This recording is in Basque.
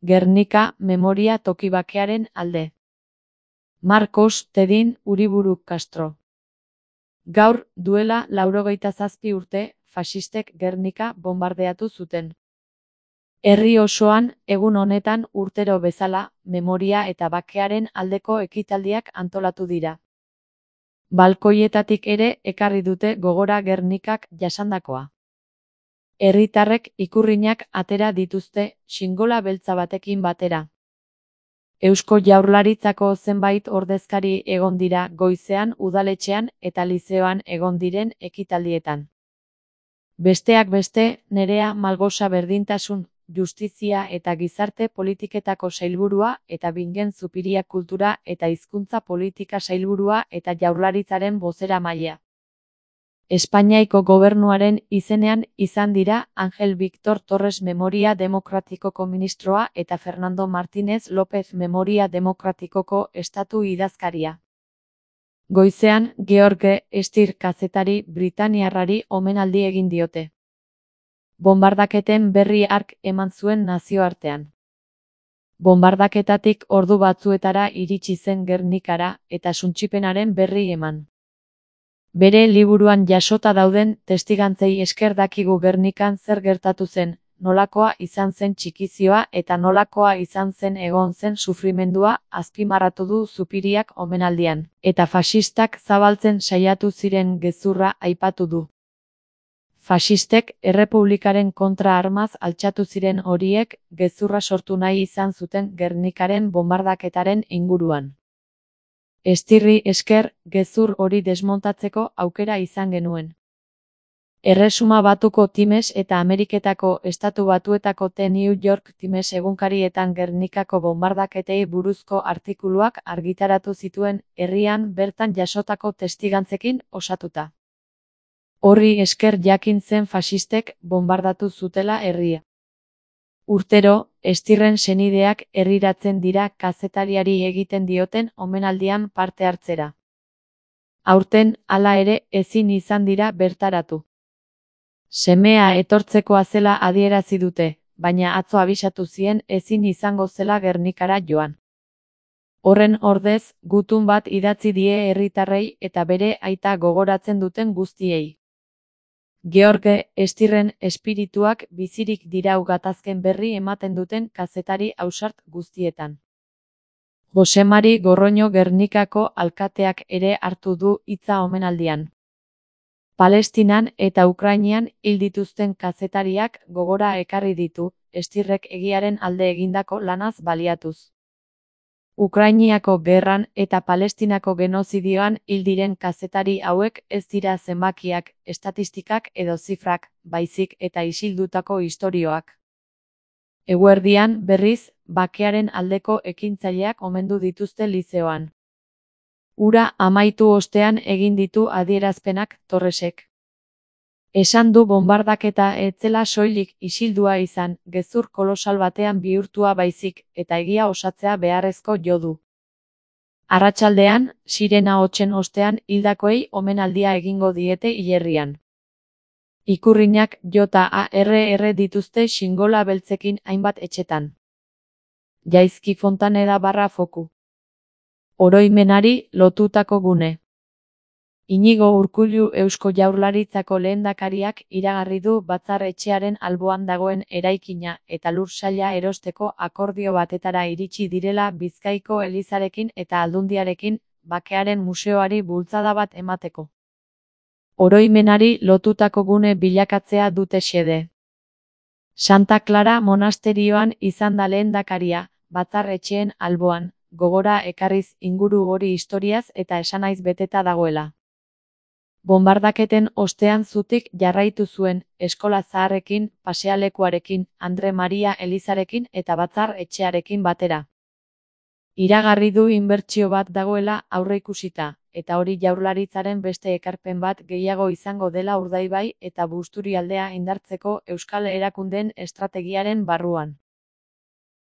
Gernika memoria toki bakearen alde. Marcos Tedin Uriburu Castro. Gaur, duela 97 urte, faxistek Gernika bombardeatu zuten. Herri osoan, egun honetan urtero bezala, memoria eta bakearen aldeko ekitaldiak antolatu dira. Balkoietatik ere ekarri dute gogora Gernikak jasandakoa. Herritarrek ikurrinak atera dituzte, xingola beltza batekin batera. Eusko Jaurlaritzako zenbait ordezkari egon dira goizean udaletxean eta lizeoan egon diren ekitaldietan. Besteak beste, Nerea Malgosa Berdintasun, Justizia eta Gizarte Politiketako sailburua eta Bingen Zupiria Kultura eta Hizkuntza Politika sailburua eta Jaurlaritzaren bozeramailea. Espainiako gobernuaren izenean izan dira Ángel Víctor Torres Memoria Demokratikoko ministroa eta Fernando Martínez López Memoria Demokratikoko estatu idazkaria. Goizean, George Stier kazetari britaniarrari omenaldi egin diote. Bonbardaketen berri hark eman zuen nazioartean. Bonbardaketatik ordu batzuetara iritsi zen Gernikara eta suntsipenaren berri eman. Bere liburuan jasota dauden testigantzei esker dakigu Gernikan zer gertatu zen, nolakoa izan zen txikizioa eta nolakoa izan zen egon zen sufrimendua, azpimarratu du Zupiriak omenaldian, eta faxistak zabaltzen saiatu ziren gezurra aipatu du. Faxistek errepublikaren kontra armaz altxatu ziren horiek gezurra sortu nahi izan zuten Gernikaren bonbardaketaren inguruan. Stierri esker, gezur hori desmontatzeko aukera izan genuen. Erresuma Batuko Times eta Ameriketako Estatu Batuetako The New York Times egunkarietan Gernikako bonbardaketei buruzko artikuluak argitaratu zituen herrian bertan jasotako testigantzekin osatuta. Horri esker jakin zen faxistek bonbardatu zutela herria. Urtero, Stierren senideak herriratzen dira kazetariari egiten dioten omenaldian parte hartzera. Aurten, hala ere, ezin izan dira bertaratu. Semea etortzekoa zela adierazi dute, baina atzo abisatu zien ezin izango zela Gernikara joan. Horren ordez, gutun bat idatzi die herritarrei eta bere aita gogoratzen duten guztiei. George Stierren espirituak bizirik dirau gatazken berri ematen duten kazetari ausart guztietan. Jose Mari Gorroño Gernikako alkateak ere hartu du hitza omenaldian. Palestinan eta Ukrainian hil dituzten kazetariak gogora ekarri ditu, Stierrek egiaren alde egindako lanaz baliatuz. Ukrainiako gerran eta Palestinako genozidioan hil diren kazetari hauek ez dira zenbakiak, estatistikak edo zifrak, baizik eta isildutako istorioak. Eguerdian, berriz, bakearen aldeko ekintzaileak omendu dituzte lizeoan. Hura amaitu ostean egin ditu adierazpenak Torresek. Esan du bonbardaketa ez zela soilik isildua izan, gezur kolosal batean bihurtua baizik, eta egia osatzea beharrezko jo du. Arratsaldean, sirena hotsen ostean hildakoei omenaldia egingo diete hilerrian. Ikurrinak JARR dituzte xingola beltzekin hainbat etxetan. Jaizki Fontaneda /Foku. Oroimenari lotutako gune. Inigo Urkullu Eusko Jaurlaritzako lehendakariak iragarri du Batzar Etxearen alboan dagoen eraikina eta lur saila erosteko akordio batetara iritsi direla Bizkaiko Elizarekin eta Aldundiarekin bakearen museoari bultzada bat emateko. Oroimenari lotutako gune bilakatzea dute xede. Santa Clara monasterioan izan da lehendakaria, Batzar Etxeen alboan, gogora ekarriz inguru hori historiaz eta esanaiz beteta dagoela. Bonbardaketen ostean zutik jarraitu zuen, eskola zaharrekin, pasealekuarekin, Andre Maria Elizarekin eta Batzar Etxearekin batera. Iragarri du inbertsio bat dagoela aurreikusita, eta hori Jaurlaritzaren beste ekarpen bat gehiago izango dela Urdaibai eta Busturialdea indartzeko euskal erakundeen estrategiaren barruan.